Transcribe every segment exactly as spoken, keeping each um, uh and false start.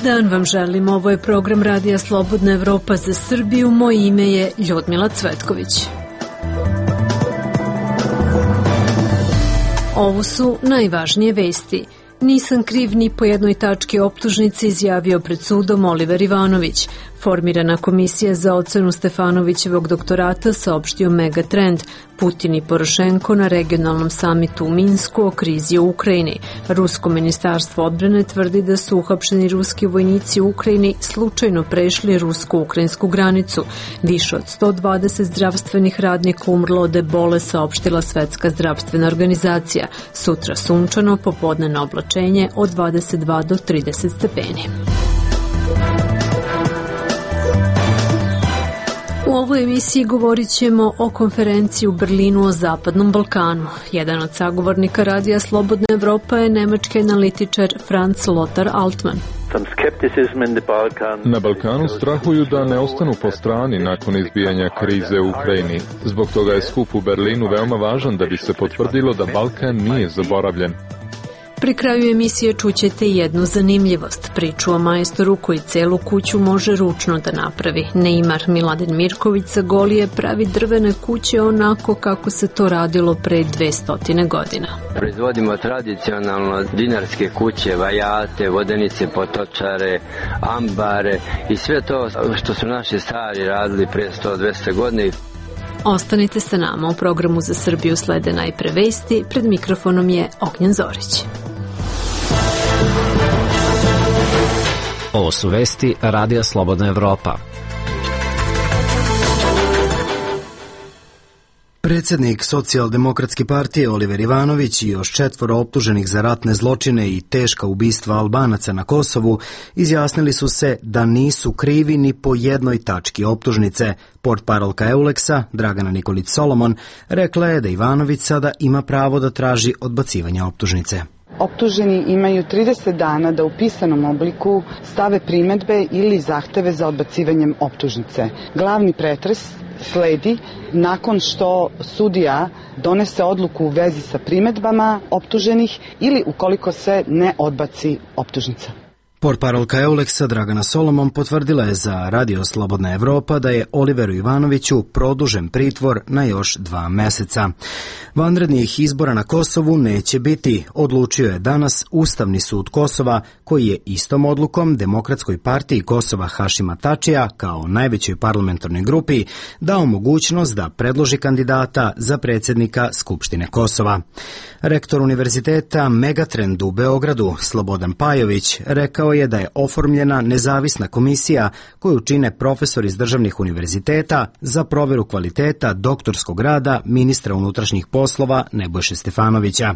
dan vam želim, ovo je program Radija Slobodna Evropa za Srbiju, moje ime je Ljudmila Cvetković. Ovo su najvažnije vesti. Nisam kriv ni po jednoj tački optužnice, izjavio pred sudom Oliver Ivanović. Formirana komisija za ocenu Stefanovićevog doktorata, saopštio Megatrend. Putin i Porošenko na regionalnom samitu u Minsku o krizi u Ukrajini. Rusko ministarstvo odbrane tvrdi da su uhapšeni ruski vojnici u Ukrajini slučajno prešli rusko-ukrajinsku granicu. Više od sto dvadeset zdravstvenih radnika umrlo od ebole, saopštila Svetska zdravstvena organizacija. Sutra sunčano, popodnevno oblačenje od dvadeset dva do trideset stepeni. U ovoj emisiji govorit ćemo o konferenciji u Berlinu o Zapadnom Balkanu. Jedan od sagovornika Radija Slobodna Evropa je nemački analitičar Franz Lothar Altmann. Na Balkanu strahuju da ne ostanu po strani nakon izbijanja krize u Ukrajini. Zbog toga je skup u Berlinu veoma važan da bi se potvrdilo da Balkan nije zaboravljen. Pri kraju emisije čućete jednu zanimljivost, priču o majstoru koji celu kuću može ručno da napravi. Neymar Miladin Mirković sa Golije pravi drvene kuće onako kako se to radilo pre dvesta godina. Proizvodimo tradicionalno dinarske kuće, vajate, vodenice, potočare, ambare i sve to što su naši stari radili pre sto do dvesta godina. Ostanite sa nama, u programu za Srbiju slede najpre vesti, pred mikrofonom je Ognjen Zorić. Ovo su vesti Radija Slobodna Evropa. Predsjednik Socijaldemokratske partije Oliver Ivanović i još četvoro optuženih za ratne zločine i teška ubistva Albanaca na Kosovu izjasnili su se da nisu krivi ni po jednoj tački optužnice. Portparolka Euleksa, Dragana Nikolić Solomon, rekla je da Ivanović sada ima pravo da traži odbacivanje optužnice. Optuženi imaju trideset dana da u pisanom obliku stave primedbe ili zahteve za odbacivanjem optužnice. Glavni pretres sledi nakon što sudija donese odluku u vezi sa primedbama optuženih ili ukoliko se ne odbaci optužnica. Portparolka Euleksa Dragana Solomon potvrdila je za Radio Slobodna Evropa da je Oliveru Ivanoviću produžen pritvor na još dva meseca. Vanrednih izbora na Kosovu neće biti, odlučio je danas Ustavni sud Kosova, koji je istom odlukom Demokratskoj partiji Kosova Hašima Tačija, kao najvećoj parlamentarnoj grupi, dao mogućnost da predloži kandidata za predsjednika Skupštine Kosova. Rektor Univerziteta Megatrend u Beogradu, Slobodan Pajović, rekao je da je oformljena nezavisna komisija koju čine profesori iz državnih univerziteta za proveru kvaliteta doktorskog rada ministra unutrašnjih poslova Nebojše Stefanovića.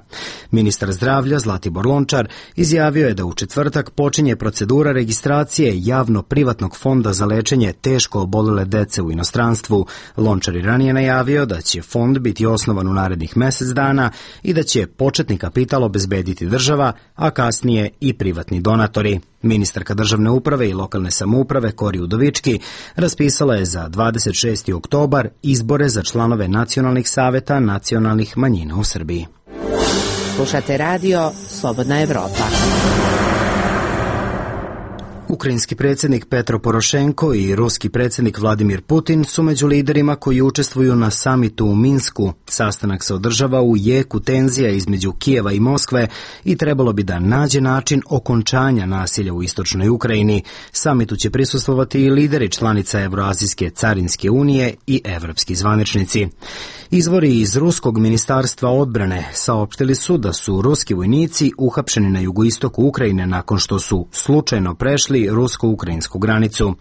Ministar zdravlja Zlatibor Lončar izjavio je da u četvrtak počinje procedura registracije javno-privatnog fonda za lečenje teško obolele dece u inostranstvu. Lončar je ranije najavio da će fond biti osnovan u narednih mesec dana i da će početni kapital obezbediti država, a kasnije i privatni donatori. Ministarka državne uprave i lokalne samouprave Kori Udovički raspisala je za dvadeset šesti oktobar izbore za članove nacionalnih saveta nacionalnih manjina u Srbiji. Slušate radio Slobodna Evropa. Ukrajinski predsjednik Petro Porošenko i ruski predsjednik Vladimir Putin su među liderima koji učestvuju na samitu u Minsku. Sastanak se održava u jeku tenzija između Kijeva i Moskve i trebalo bi da nađe način okončanja nasilja u istočnoj Ukrajini. Samitu će prisustvovati i lideri članica Evroazijske carinske unije i evropski zvaničnici. Izvori iz ruskog ministarstva odbrane saopštili su da su ruski vojnici uhapšeni na jugoistoku Ukrajine nakon što su slučajno prešli rusko-ukrajinsku granicu.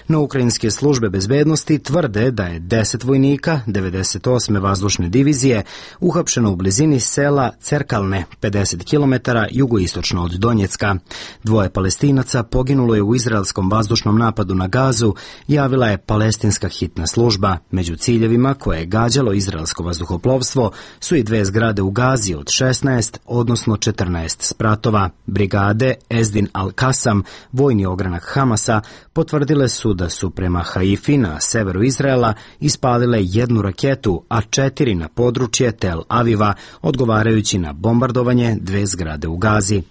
No ukrajinske službe bezbednosti tvrde da je deset vojnika devedeset osme vazdušne divizije uhapšeno u blizini sela Cerkalne, pedeset kilometara jugoistočno od Donjecka. Dvoje Palestinaca poginulo je u izraelskom vazdušnom napadu na Gazu, javila je palestinska hitna služba. Među ciljevima koje je gađalo izraelsko vazduhoplovstvo su i dve zgrade u Gazi od šesnaest, odnosno četrnaest spratova. Brigade Ezdin al-Kasam, vojni ogranak Hamasa potvrdile su da su prema Haifi na severu Izraela ispalile jednu raketu, a četiri na područje Tel Aviva, odgovarajući na bombardovanje dve zgrade u Gazi.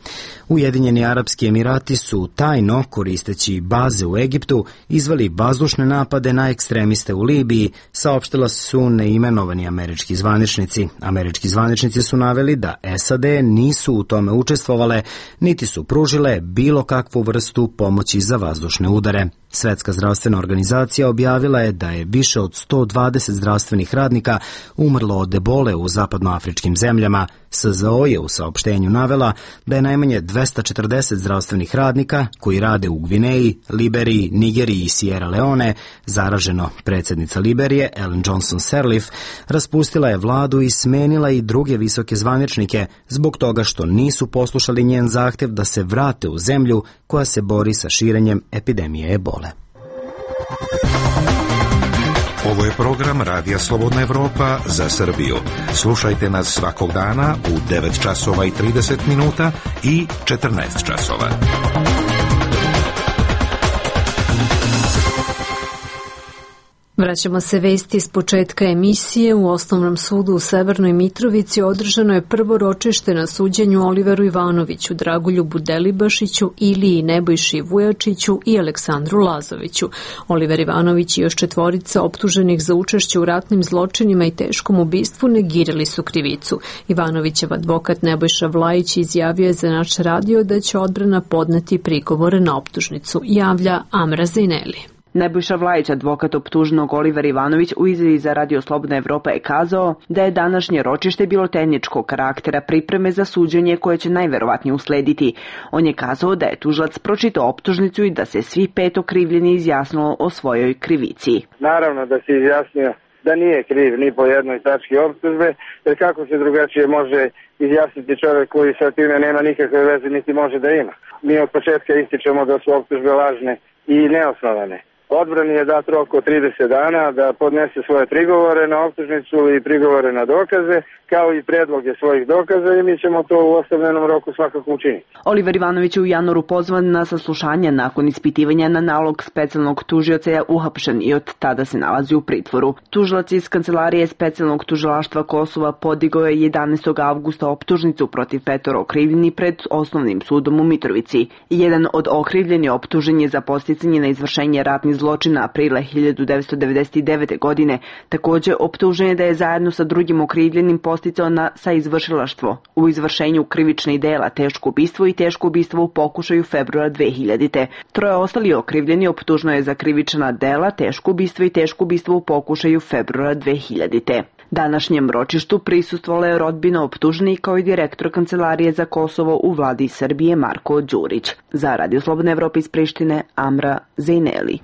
Ujedinjeni Arapski Emirati su tajno, koristeći baze u Egiptu, izveli vazdušne napade na ekstremiste u Libiji, saopštila su neimenovani američki zvaničnici. Američki zvaničnici su naveli da S A D nisu u tome učestvovale, niti su pružile bilo kakvu vrstu pomoći za vazdušne udare. Svetska zdravstvena organizacija objavila je da je više od sto dvadeset zdravstvenih radnika umrlo od ebole u zapadnoafričkim zemljama. S Z O je u saopštenju navela da je najmanje dvesta četrdeset zdravstvenih radnika koji rade u Gvineji, Liberiji, Nigeriji i Sierra Leone zaraženo. Predsjednica Liberije, Ellen Johnson Sirleaf, raspustila je vladu i smenila i druge visoke zvaničnike zbog toga što nisu poslušali njen zahtev da se vrate u zemlju koja se bori sa širenjem epidemije ebole. Ovo je program Radija Slobodna Evropa za Srbiju. Slušajte nas svakog dana u devet časova i trideset minuta i četrnaest časova. Vraćamo se vesti iz početka emisije. U Osnovnom sudu u Severnoj Mitrovici održano je prvo ročište na suđenju Oliveru Ivanoviću, Dragoljubu Delibašiću, Iliji Nebojši Vujačiću i Aleksandru Lazoviću. Oliver Ivanović i još četvorica optuženih za učešće u ratnim zločinima i teškom ubistvu negirali su krivicu. Ivanovićev advokat Nebojša Vlajić izjavio je za naš radio da će odbrana podneti prigovore na optužnicu, javlja Amra Zejneli. Nebojša Vlajić, advokat optuženog Oliver Ivanović, u izjavi za Radio Slobodna Evropa je kazao da je današnje ročište bilo tehničkog karaktera pripreme za suđenje koje će najverovatnije uslediti. On je kazao da je tužilac pročitao optužnicu i da se svi pet okrivljeni izjasnilo o svojoj krivici. Naravno da se izjasnio da nije kriv ni po jednoj tački optužbe, jer kako se drugačije može izjasniti čovjek koji sa time nema nikakve veze niti može da ima. Mi od početka ističemo da su optužbe lažne i neosnovane. Odbrani je dat rok od trideset dana da podnese svoje prigovore na optužnicu i prigovore na dokaze, kao i predloge svojih dokaza, i mi ćemo to u ostavljenom roku svakako učiniti. Oliver Ivanović je u januaru pozvan na saslušanje nakon ispitivanja na nalog specijalnog tužioca je uhapšen i od tada se nalazi u pritvoru. Tužilac iz kancelarije specijalnog tužilaštva Kosova podigao je jedanaestog avgusta optužnicu protiv petoro okrivljeni pred Osnovnim sudom u Mitrovici. Jedan od okrivljeni optužen je za podsticanje na izvršenje ratnih zločina aprila hiljadu devetsto devedeset devete. godine. Takođe optužen je da je zajedno sa drugim okrivljenim posticao na saizvršilaštvo u izvršenju krivičnih dela, teško ubistvo i teško ubistvo u pokušaju februara dve hiljadite. Troje ostali okrivljeni optuženo je za krivična dela, teško ubistvo i teško ubistvo u pokušaju februara dve hiljadite. Današnjem ročištu prisustvovala je rodbina optuženih kao i direktor Kancelarije za Kosovo u vladi Srbije Marko Đurić. Za Radio Slobodna Evropa iz Prištine, Amra Zejneli.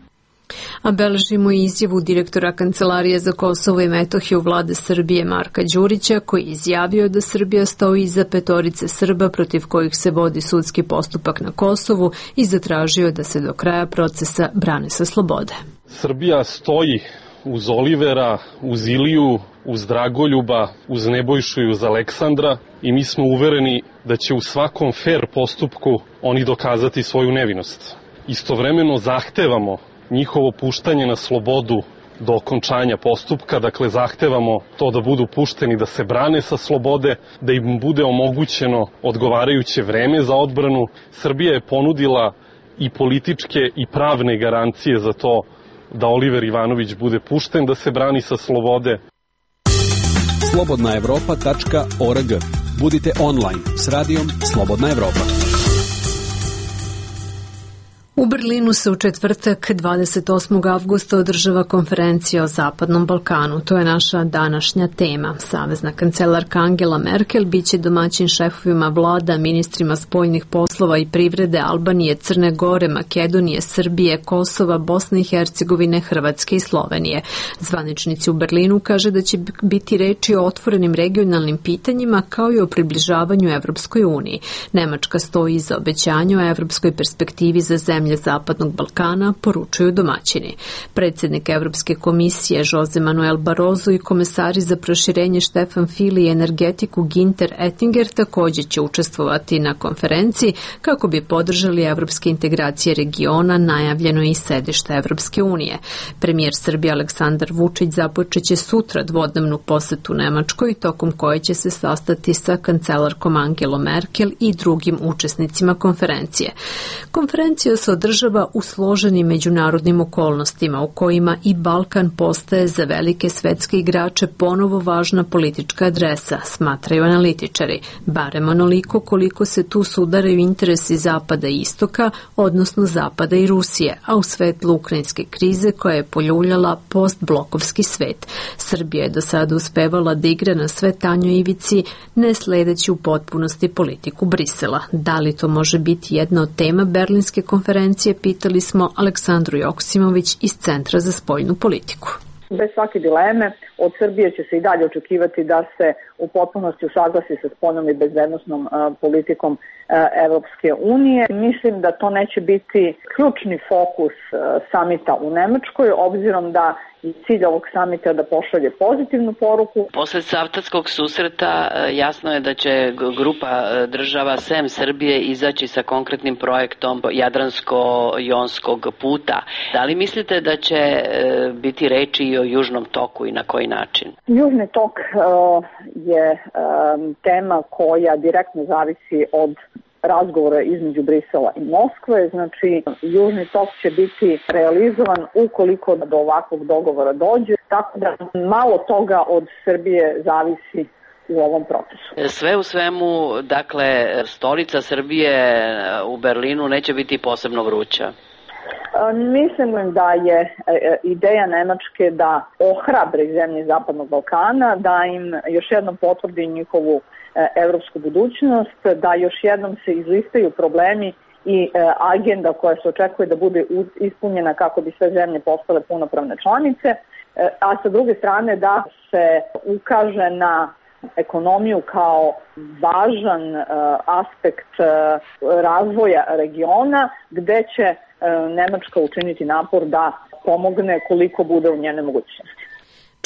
A beležimo i izjavu direktora Kancelarije za Kosovo i Metohiju vlade Srbije Marka Đurića, koji je izjavio da Srbija stoji iza petorice Srba protiv kojih se vodi sudski postupak na Kosovu i zatražio da se do kraja procesa brane sa slobode. Srbija stoji uz Olivera, uz Iliju, uz Dragoljuba, uz Nebojšu i uz Aleksandra i mi smo uvereni da će u svakom fer postupku oni dokazati svoju nevinost. Istovremeno zahtevamo njihovo puštanje na slobodu do okončanja postupka, dakle zahtevamo to da budu pušteni, da se brane sa slobode, da im bude omogućeno odgovarajuće vreme za odbranu. Srbija je ponudila i političke i pravne garancije za to da Oliver Ivanović bude pušten, da se brani sa slobode. slobodna evropa tačka org. Budite online s radijom Slobodna Evropa. U Berlinu se u četvrtak dvadeset osmog avgusta održava konferencija o Zapadnom Balkanu. To je naša današnja tema. Savezna kancelarka Angela Merkel biće domaćin šefovima vlada, ministrima spoljnih poslova i privrede Albanije, Crne Gore, Makedonije, Srbije, Kosova, Bosne i Hercegovine, Hrvatske i Slovenije. Zvaničnici u Berlinu kaže da će biti reči o otvorenim regionalnim pitanjima kao i o približavanju Evropskoj uniji. Nemačka stoji iza obećanja o evropskoj perspektivi za zemlje zemlje Zapadnog Balkana, poručuju domaćini. Predsjednik Evropske komisije Jose Manuel Barroso i komesari za proširenje Štefan File i energetiku Ginter Ettinger također će učestvovati na konferenciji kako bi podržali evropske integracije regiona, najavljeno i sedište Evropske unije. Premijer Srbije Aleksandar Vučić započeće sutra dvodnevnu posetu Nemačkoj, tokom koje će se sastati sa kancelarkom Angelom Merkel i drugim učesnicima konferencije. Konferencija se održava u složenim međunarodnim okolnostima u kojima i Balkan postaje za velike svetske igrače ponovo važna politička adresa, smatraju analitičari, barem onoliko koliko se tu sudaraju interesi Zapada i Istoka, odnosno Zapada i Rusije, a u svetlu ukrajinske krize koja je poljuljala postblokovski svet. Srbija je do sada uspevala da igra na sve tanjoj ivici, ne sledeći u potpunosti politiku Brisela. Da li to može biti jedna od tema Berlinske konferencije, pitali smo Aleksandru Joksimović iz Centra za spoljnu politiku. Bez svake dileme, od Srbije će se i dalje očekivati da se u potpunosti usaglasi sa spoljnom i bezbednosnom uh, politikom uh, Evropske unije. Mislim da to neće biti ključni fokus uh, samita u Nemačkoj, obzirom da i cilj ovog samita da pošalje pozitivnu poruku. Posle Cavtatskog susreta jasno je da će grupa država sem Srbije izaći sa konkretnim projektom Jadransko-jonskog puta. Da li mislite da će biti reči i o Južnom toku i na koji način? Južni tok uh, je um, tema koja direktno zavisi od razgovora između Brisela i Moskve, znači Južni tok će biti realizovan ukoliko do ovakvog dogovora dođe, tako da malo toga od Srbije zavisi u ovom procesu. Sve u svemu, dakle, stolica Srbije u Berlinu neće biti posebno vruća. Mislim da je ideja Nemačke da ohrabri zemlje Zapadnog Balkana, da im još jednom potvrdi njihovu evropsku budućnost, da još jednom se izlistaju problemi i agenda koja se očekuje da bude ispunjena kako bi sve zemlje postale punopravne članice, a sa druge strane da se ukaže na ekonomiju kao važan aspekt razvoja regiona, gde će Nemačka učiniti napor da pomogne koliko bude u njene mogućnosti.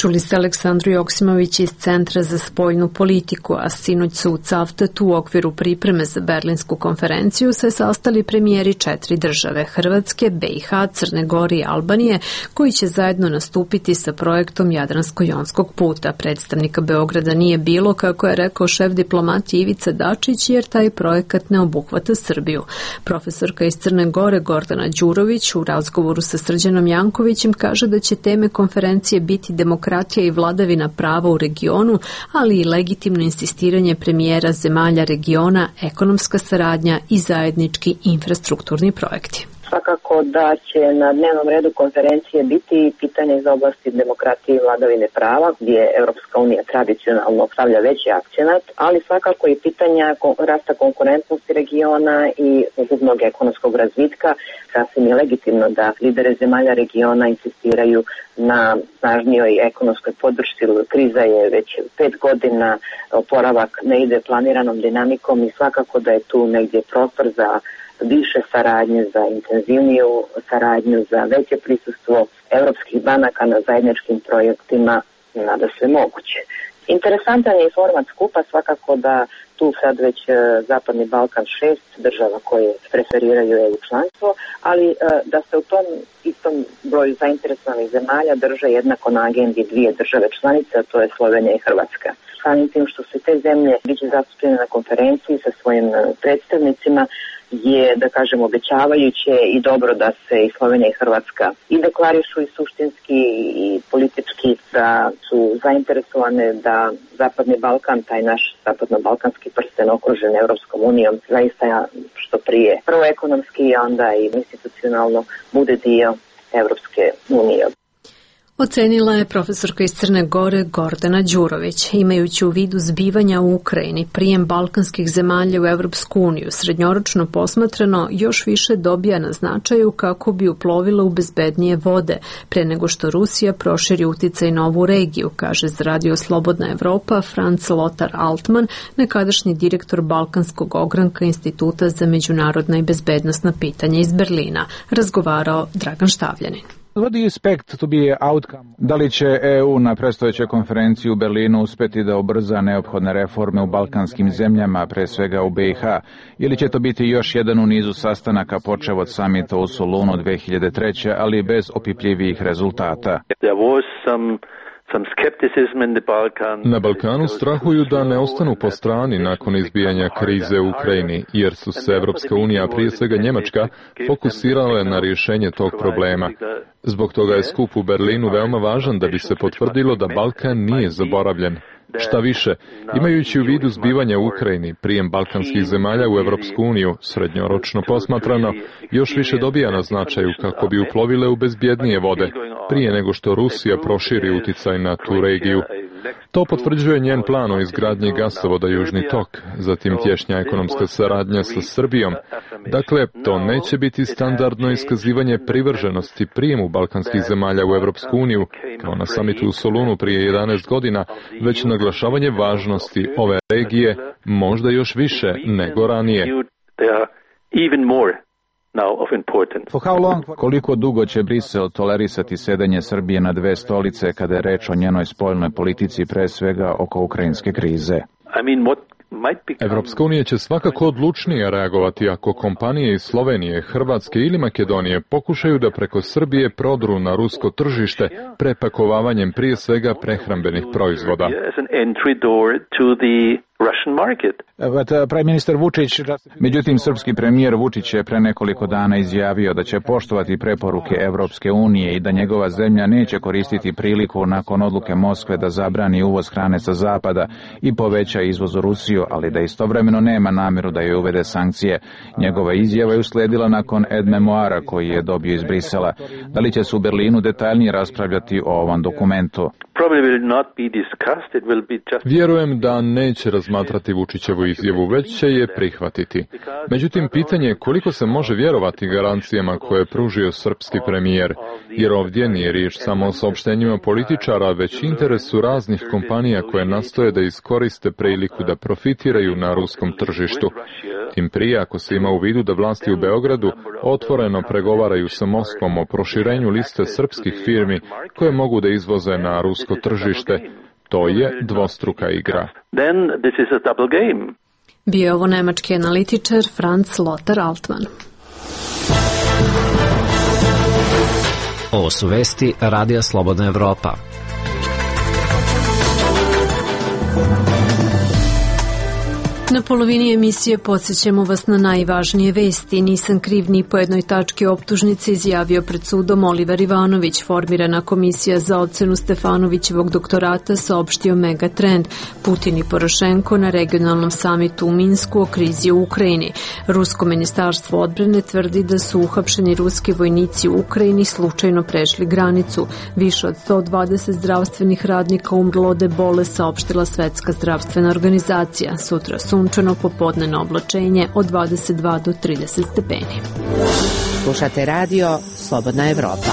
Čuli ste Aleksandru Joksimović iz Centra za spoljnu politiku, a sinoć su u Cavtatu u okviru pripreme za Berlinsku konferenciju se sastali premijeri četiri države, Hrvatske, B i H, Crne Gore i Albanije, koji će zajedno nastupiti sa projektom Jadransko-jonskog puta. Predstavnika Beograda nije bilo, kako je rekao šef diplomatije Ivica Dačić, jer taj projekat ne obuhvata Srbiju. Profesorka iz Crne Gore Gordana Đurović u razgovoru sa Srđanom Jankovićem kaže da će teme konferencije biti demokratija i vladavina prava u regionu, ali i legitimno insistiranje premijera zemalja regiona, ekonomska saradnja i zajednički infrastrukturni projekti. Svakako da će na dnevnom redu konferencije biti pitanje iz oblasti demokratije i vladavine prava, gdje Evropska unija tradicionalno stavlja veći akcenat, ali svakako i pitanja rasta konkurentnosti regiona i ukupnog ekonomskog razvitka. Sasvim je legitimno da lidere zemalja regiona insistiraju na snažnijoj ekonomskoj podršci. Kriza je već pet godina, oporavak ne ide planiranom dinamikom i svakako da je tu negdje prostor za više saradnje, za intenzivniju saradnju, za veće prisustvo evropskih banaka na zajedničkim projektima, nada sve moguće. Interesantan je i format skupa, svakako da tu sad već Zapadni Balkan šest država koje preferiraju E U članstvo, ali da se u tom istom broju zainteresovanih zemalja drže jednako na agendi dvije države članice, a to je Slovenija i Hrvatska. Samim tim što se te zemlje biće zastupljene na konferenciji sa svojim predstavnicima, je, da kažem, obećavajuće i dobro da se i Slovenija i Hrvatska i deklarišu i suštinski i politički da su zainteresovane da Zapadni Balkan, taj naš zapadno-balkanski prsten okružen Evropskom unijom, zaista što prije prvo ekonomski, a onda i institucionalno bude dio Evropske unije. Ocenila je profesorka iz Crne Gore Gordana Đurović. Imajući u vidu zbivanja u Ukrajini, prijem balkanskih zemalja u Evropsku uniju srednjoročno posmatrano još više dobija na značaju kako bi uplovila u bezbednije vode, pre nego što Rusija proširi uticaj na ovu regiju, kaže za Radio Slobodna Evropa Franz Lothar Altmann, nekadašnji direktor Balkanskog ogranka Instituta za međunarodna i bezbednosna pitanja iz Berlina. Razgovarao Dragan Štavljanin. Da li će E U na predstojećoj konferenciji u Berlinu uspeti da ubrza neophodne reforme u balkanskim zemljama, pre svega u B i H, ili će to biti još jedan u nizu sastanaka počev od samita u Solunu dve hiljade treće. ali bez opipljivijih rezultata? Na Balkanu strahuju da ne ostanu po strani nakon izbijanja krize u Ukrajini, jer su se Evropska unija, prije svega Njemačka, fokusirale na rješenje tog problema. Zbog toga je skup u Berlinu veoma važan da bi se potvrdilo da Balkan nije zaboravljen. Šta više, imajući u vidu zbivanja u Ukrajini, prijem balkanskih zemalja u Evropsku uniju, srednjoročno posmatrano, još više dobija na značaju kako bi uplovile u bezbjednije vode, prije nego što Rusija proširi uticaj na tu regiju. To potvrđuje njen plan o izgradnji gasovoda Južni tok, zatim tješnja ekonomska saradnja sa Srbijom. Dakle, to neće biti standardno iskazivanje privrženosti prijemu balkanskih zemalja u Evropsku uniju, kao na samitu u Solunu prije jedanaest godina, već naglašavanje važnosti ove regije možda još više nego ranije. Koliko dugo će Brisel tolerisati sedenje Srbije na dve stolice kada je reč o njenoj spoljnoj politici, pre svega oko ukrajinske krize? Evropska unija će svakako odlučnije reagovati ako kompanije iz Slovenije, Hrvatske ili Makedonije pokušaju da preko Srbije prodru na rusko tržište prepakovavanjem prije svega prehrambenih proizvoda. Međutim, srpski premijer Vučić je pre nekoliko dana izjavio da će poštovati preporuke Evropske unije i da njegova zemlja neće koristiti priliku nakon odluke Moskve da zabrani uvoz hrane sa zapada i poveća izvoz u Rusiju, ali da istovremeno nema namjeru da joj uvede sankcije. Njegova izjava je usledila nakon ed-memoara koji je dobio iz Brisela. Da li će se u Berlinu detaljnije raspravljati o ovom dokumentu? Vjerujem da neće razmatrati Vučićevu izjavu, već će je prihvatiti. Međutim, pitanje je koliko se može vjerovati garancijama koje je pružio srpski premijer, jer ovdje nije riječ samo o saopštenjima političara, već interesu raznih kompanija koje nastoje da iskoriste priliku da profitiraju na ruskom tržištu. Tim prije ako se ima u vidu da vlasti u Beogradu otvoreno pregovaraju sa Moskvom o proširenju liste srpskih firmi koje mogu da izvoze na rusko tržište. To je dvostruka igra. Bio je ovo nemački analitičar Franz Lothar Altmann. Ovo su vesti Radija Slobodna Evropa. Na polovini emisije podsjećamo vas na najvažnije vesti. Nisam kriv ni po jednoj tački optužnice, izjavio pred sudom Oliver Ivanović. Formirana komisija za ocenu Stefanovićevog doktorata, saopštio Megatrend. Putin i Porošenko na regionalnom samitu u Minsku o krizi u Ukrajini. Rusko ministarstvo odbrane tvrdi da su uhapšeni ruski vojnici u Ukrajini slučajno prešli granicu. Više od sto dvadeset zdravstvenih radnika umrlo od ebole, saopštila Svetska zdravstvena organizacija. Sutra su sunčano, popodnevno oblačenje od dvadeset dva do trideset stepeni. Slušate radio Slobodna Evropa.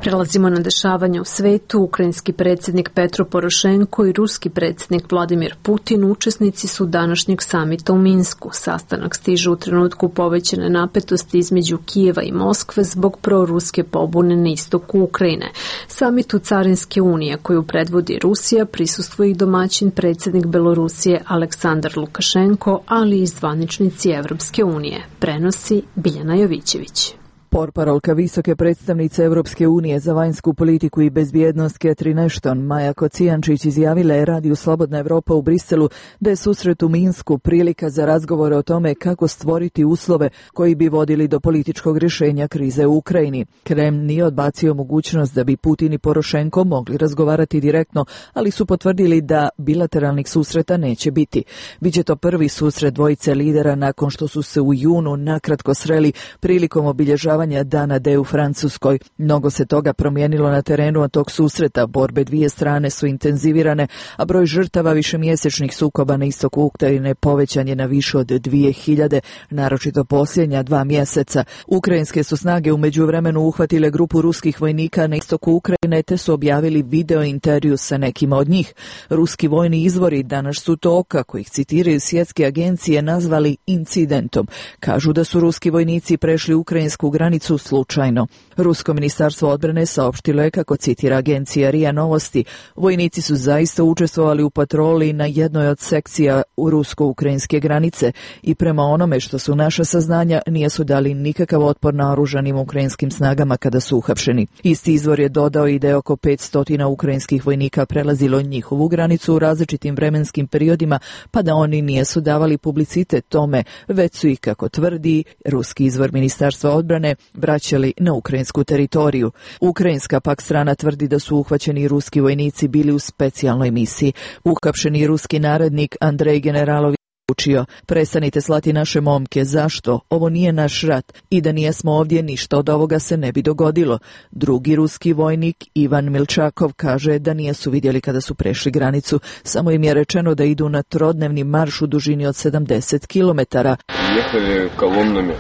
Prelazimo na dešavanja u svetu. Ukrajinski predsjednik Petro Porošenko i ruski predsjednik Vladimir Putin učesnici su današnjeg samita u Minsku. Sastanak stiže u trenutku povećane napetosti između Kijeva i Moskve zbog proruske pobune na istoku Ukrajine. Samitu Carinske unije koju predvodi Rusija prisustvuje i domaćin predsjednik Belorusije Aleksandar Lukašenko, ali i zvaničnici Evropske unije. Prenosi Biljana Jovićević. Portparolka visoke predstavnice Evropske unije za vanjsku politiku i bezbjednost Catherine Ashton, Maja Kocijančić, izjavila je Radiju Slobodna Evropa u Briselu da je susret u Minsku prilika za razgovore o tome kako stvoriti uslove koji bi vodili do političkog rješenja krize u Ukrajini. Kreml nije odbacio mogućnost da bi Putin i Porošenko mogli razgovarati direktno, ali su potvrdili da bilateralnih susreta neće biti. Biće to prvi susret dvojice lidera nakon što su se u junu nakratko sreli prilikom obilježavanja obilježavanja Dana D u Francuskoj. Mnogo se toga promijenilo na terenu od tog susreta. Borbe dvije strane su intenzivirane, a broj žrtava višemjesečnih sukoba na istoku Ukrajine povećan je na više od dvije hiljade, naročito posljednja dva mjeseca. Ukrajinske su snage u međuvremenu uhvatile grupu ruskih vojnika na istoku Ukrajine te su objavili video intervju sa nekima od njih. Ruski vojni izvori danas su to, kako ih citiraju svjetske agencije, nazvali incidentom. Kažu da su ruski vojnici prešli ukrajinsku granicu slučajno. Rusko ministarstvo odbrane saopštilo je, kako citira agencija R I A Novosti, vojnici su zaista učestvovali u patroli na jednoj od sekcija u rusko-ukrajinske granice i prema onome što su naša saznanja nisu dali nikakav otpor naoružanim ukrajinskim snagama kada su uhapšeni. Isti izvor je dodao i da je oko petsto ukrajinskih vojnika prelazilo njihovu granicu u različitim vremenskim periodima, pa da oni nisu davali publicitet tome, već su ih, kako tvrdi ruski izvor ministarstva odbrane, vraćali na ukrajinsku teritoriju. Ukrajinska pak strana tvrdi da su uhvaćeni ruski vojnici bili u specijalnoj misiji. Uhapšeni ruski narednik Andrej Generalović učio: prestanite slati naše momke, zašto? Ovo nije naš rat i da nijesmo ovdje ništa od ovoga se ne bi dogodilo. Drugi ruski vojnik Ivan Milčakov kaže da nijesu vidjeli kada su prešli granicu, samo im je rečeno da idu na trodnevni marš u dužini od sedamdeset kilometara. Jehali kolumnami,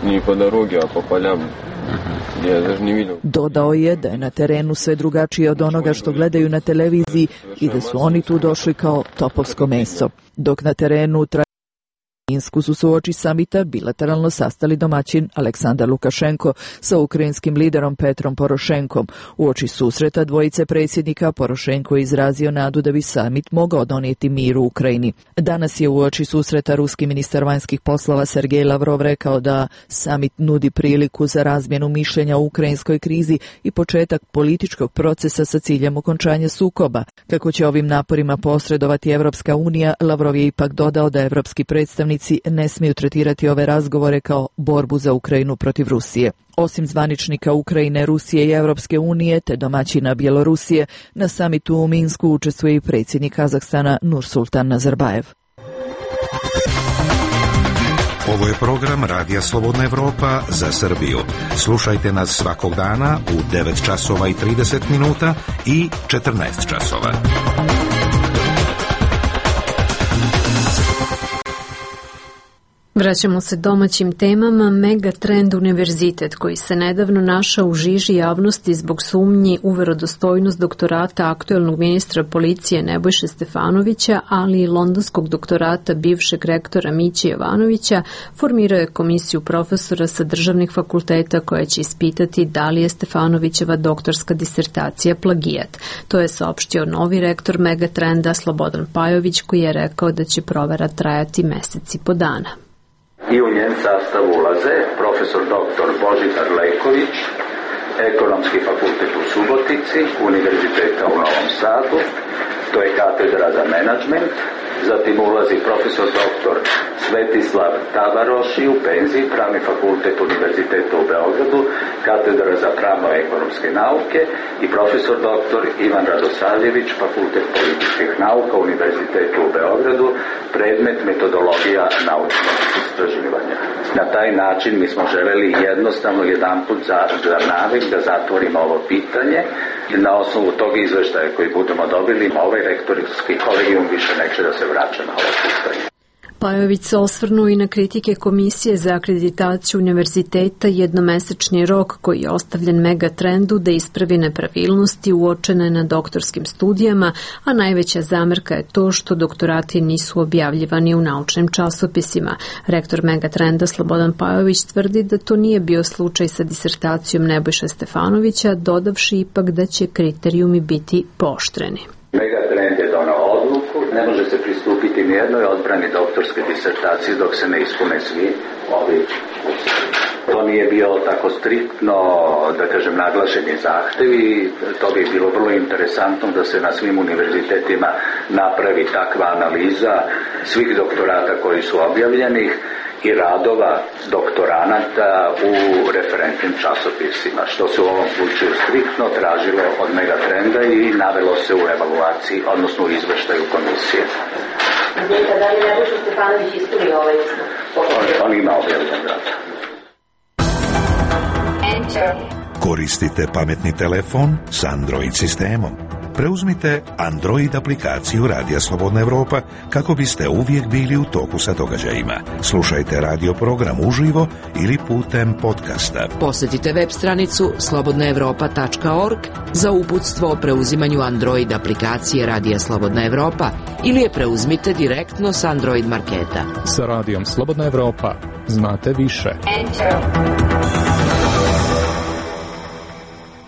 ni po dorogi, a po poljama. Dodao je da je na terenu sve drugačije od onoga što gledaju na televiziji i da su oni tu došli kao topovsko meso. Dok na terenu tra Minsku su se uoči samita bilateralno sastali domaćin Aleksandar Lukašenko sa ukrajinskim liderom Petrom Porošenkom. Uoči susreta dvojice predsjednika Porošenko je izrazio nadu da bi samit mogao donijeti mir u Ukrajini. Danas je uoči susreta ruski ministar vanjskih poslova Sergej Lavrov rekao da samit nudi priliku za razmjenu mišljenja o ukrajinskoj krizi i početak političkog procesa sa ciljem okončanja sukoba. Kako će ovim naporima posredovati Evropska unija, Lavrov je ipak dodao da evropski predstavnici ne smiju tretirati ove razgovore kao borbu za Ukrajinu protiv Rusije. Osim zvaničnika Ukrajine, Rusije i Evropske unije te domaćina Bjelorusije, na samitu u Minsku učestvuje i predsjednik Kazahstana Nursultan Nazarbajev. Ovo je program Radija Slobodna Evropa za Srbiju. Slušajte nas svakog dana u devet časova i trideset minuta i četrnaest časova. Vraćamo se domaćim temama. Megatrend univerzitet, koji se nedavno našao u žiži javnosti zbog sumnji u verodostojnost doktorata aktuelnog ministra policije Nebojše Stefanovića, ali i londonskog doktorata bivšeg rektora Miće Jovanovića, formirao je komisiju profesora sa državnih fakulteta koja će ispitati da li je Stefanovićeva doktorska disertacija plagijat. To je saopštio novi rektor Megatrenda Slobodan Pajović, koji je rekao da će provera trajati meseci po dana. I u njen sastav ulaze profesor doktor Božidar Leković, Ekonomski fakultet u Subotici, Univerziteta u Novom Sadu, to je katedra za menadžment, zatim ulazi profesor doktor Svetislav Tavaroši u penziji, Pravni fakultet Univerziteta u Beogradu, katedra za pravno-ekonomske nauke i profesor doktor Ivan Radosavljević, Fakultet političkih nauka Univerziteta u Beogradu, predmet metodologija naučnog istraživanja. Na taj način mi smo želeli jednostavno jedanput za, za navik da zatvorimo ovo pitanje i na osnovu tog izveštaja koji budemo dobili, ovaj rektorski kolegijum više neće da se vraća na ovo pitanje. Pajović se osvrnuo i na kritike Komisije za akreditaciju univerziteta jednomesečni rok koji je ostavljen Megatrendu da ispravi nepravilnosti uočene na doktorskim studijama, a najveća zamerka je to što doktorati nisu objavljivani u naučnim časopisima. Rektor Megatrenda Slobodan Pajović tvrdi da to nije bio slučaj sa disertacijom Nebojše Stefanovića, dodavši ipak da će kriterijumi biti pooštreni. Megatrend je donao odluku, ne može se pristupiti ni jednoj odbrani doktorske disertacije dok se ne ispune svi ovi uslovi. To nije bio tako striktno, da kažem, naglašeni zahtevi, to bi bilo vrlo interesantno da se na svim univerzitetima napravi takva analiza svih doktorata koji su objavljeni i radova doktoranata u referentnim časopisima, što se u ovom slučaju striktno tražilo od Megatrenda i navelo se u evaluaciji, odnosno u izveštaju komisije. Da li Nebojša Stefanović ispunio ovaj uslov? On, on ima objavljen rad. Koristite pametni telefon s Android sistemom. Preuzmite Android aplikaciju Radija Slobodna Evropa kako biste uvijek bili u toku sa događajima. Slušajte radio program uživo ili putem podcasta. Posjetite web stranicu slobodna evropa tačka org za uputstvo o preuzimanju Android aplikacije Radija Slobodna Evropa ili je preuzmite direktno s Android marketa. Sa Radijom Slobodna Evropa znate više.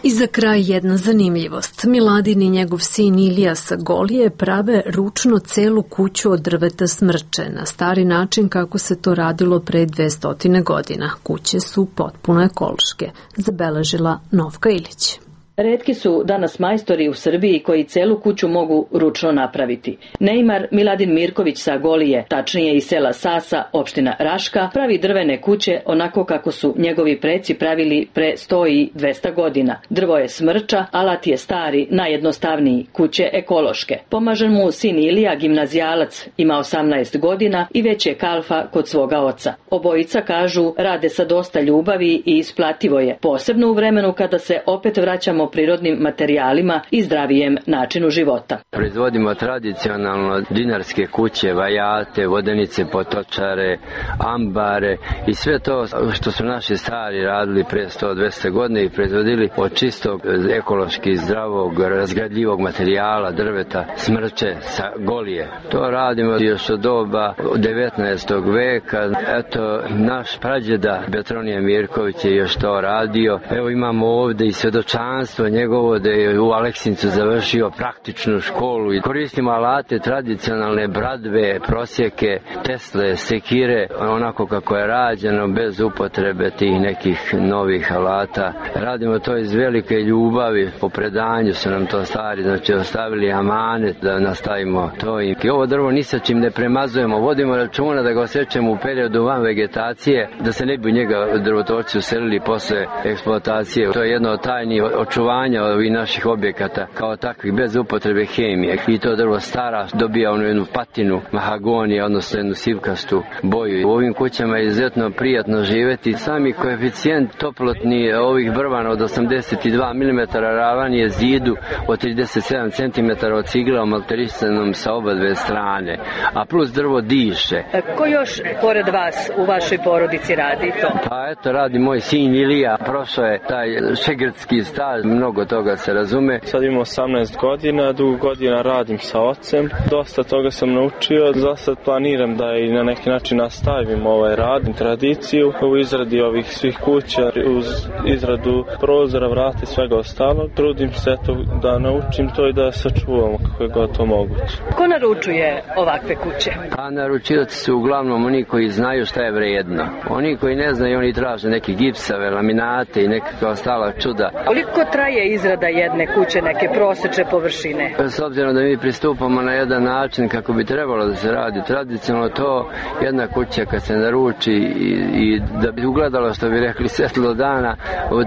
I za kraj jedna zanimljivost. Miladin i njegov sin Ilija sa Golije prave ručno celu kuću od drveta smrče, na stari način kako se to radilo pre dvesta godina. Kuće su potpuno ekološke, zabeležila Novka Ilić. Retki su danas majstori u Srbiji koji celu kuću mogu ručno napraviti. Neymar Miladin Mirković sa Golije, tačnije iz sela Sasa, opština Raška, pravi drvene kuće onako kako su njegovi preci pravili pre sto i dvesta godina. Drvo je smrča, alat je stari, najjednostavniji, kuće ekološke. Pomaže mu sin Ilija, gimnazijalac, ima osamnaest godina i već je kalfa kod svoga oca. Obojica kažu rade sa dosta ljubavi i isplativo je, posebno u vremenu kada se opet vraćamo prirodnim materijalima i zdravijem načinu života. Proizvodimo tradicionalno dinarske kuće, vajate, vodenice, potočare, ambare i sve to što su naši stari radili pre sto do dvesta godina i proizvodili od čistog, ekološki zdravog, razgradljivog materijala, drveta, smrče sa Golije. To radimo još od doba devetnaestog veka. Eto, naš prađeda Petronije Mirković je još to radio. Evo imamo ovde i svedočanstvo njegovo da je u Aleksincu završio praktičnu školu i koristimo alate tradicionalne, bradve, prosjeke, tesle, sekire, onako kako je rađeno, bez upotrebe tih nekih novih alata. Radimo to iz velike ljubavi, po predanju su nam to stari, znači ostavili amanet da nastavimo to. I ovo drvo ni sa čim ne premazujemo, vodimo računa da ga osjećamo u periodu van vegetacije, da se ne bi u njega drvotočci uselili posle eksploatacije. To je jedno od tajni očuvanja ovih naših objekata kao takvih, bez upotrebe hemije. I to drvo stara dobija onu jednu patinu mahagonije, odnosno jednu sivkastu boju. U ovim kućama je izuzetno prijatno živeti. Sami koeficijent toplotni ovih brvana od osamdeset dva milimetra ravan je zidu od trideset sedam centimetara od cigla omalterisanom sa oba dve strane, a plus drvo diše. Ko još pored vas u vašoj porodici radi to? Pa eto, radi moj sin Ilija, prošao je taj šegrdski staž, mnogo toga se razume. Sad imam osamnaest godina, dugo godina radim sa ocem, dosta toga sam naučio, za sad planiram da i na neki način nastavim ovaj rad, tradiciju u izradi ovih svih kuća, uz izradu prozora, vrata i svega ostalog. Trudim se eto da naučim to i da sačuvamo kako je god to moguće. Ko naručuje ovakve kuće? Pa naručioci su uglavnom oni koji znaju šta je vrijedno. Oni koji ne znaju, oni traže neke gipsave, laminate i nekakva ostala čuda. Koliko traje izrada jedne kuće, neke prosečne površine? S obzirom da mi pristupamo na jedan način kako bi trebalo da se radi tradicionalno, to jedna kuća kad se naruči i, i da bi ugledalo, što bi rekli, svetlo dana,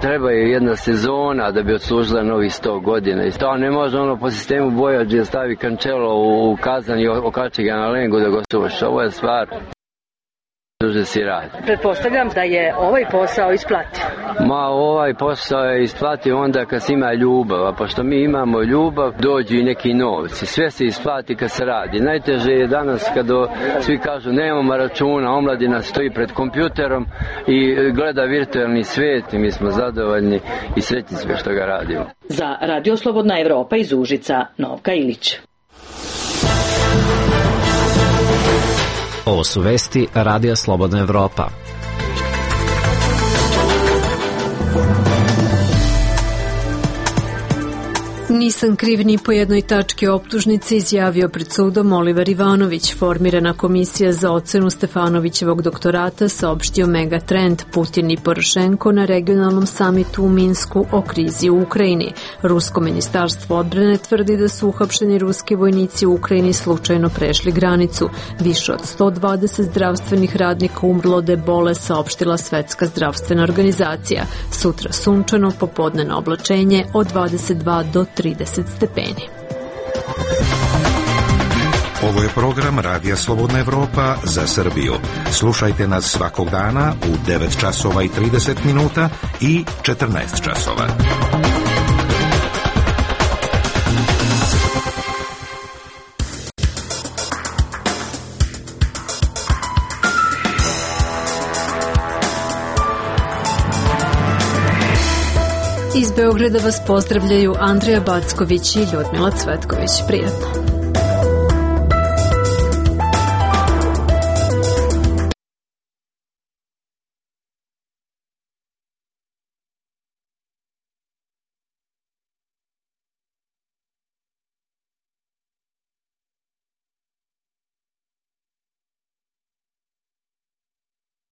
treba je jedna sezona da bi odslužila novih sto godina. I to ne može ono po sistemu bojađe stavi kančelo u kazan i okači ga na lengu da ga suši. Ovo je stvar duže si radi. Pretpostavljam da je ovaj posao isplativ. Ma ovaj posao je isplativ onda kad se ima ljubav, a pošto mi imamo ljubav, dođu i neki novci. Sve se isplati kad se radi. Najteže je danas kad svi kažu nemamo računa, omladina stoji pred kompjuterom i gleda virtualni svijet i mi smo zadovoljni i sretni sve što ga radimo. Za Radio Slobodna Evropa iz Užica, Novka Ilić. Ovo su vesti Radija Slobodna Evropa. Nisam kriv ni po jednoj tački optužnice, izjavio pred sudom Oliver Ivanović. Formirana komisija za ocenu Stefanovićevog doktorata saopštio Megatrend, Putin i Porošenko na regionalnom samitu u Minsku o krizi u Ukrajini. Rusko ministarstvo odbrane tvrdi da su uhapšeni ruski vojnici u Ukrajini slučajno prešli granicu. Više od sto dvadeset zdravstvenih radnika umrlo od ebole, saopštila Svetska zdravstvena organizacija. Sutra sunčano, popodnevno oblačenje od dvadeset dva do trideset stepeni. Ovo je program Radija Slobodna Evropa za Srbiju. Slušajte nas svakog dana u devet časova i trideset minuta i četrnaest časova. Iz Beograda vas pozdravljaju Andrija Backović i Ljudmila Cvetković. Prijatno.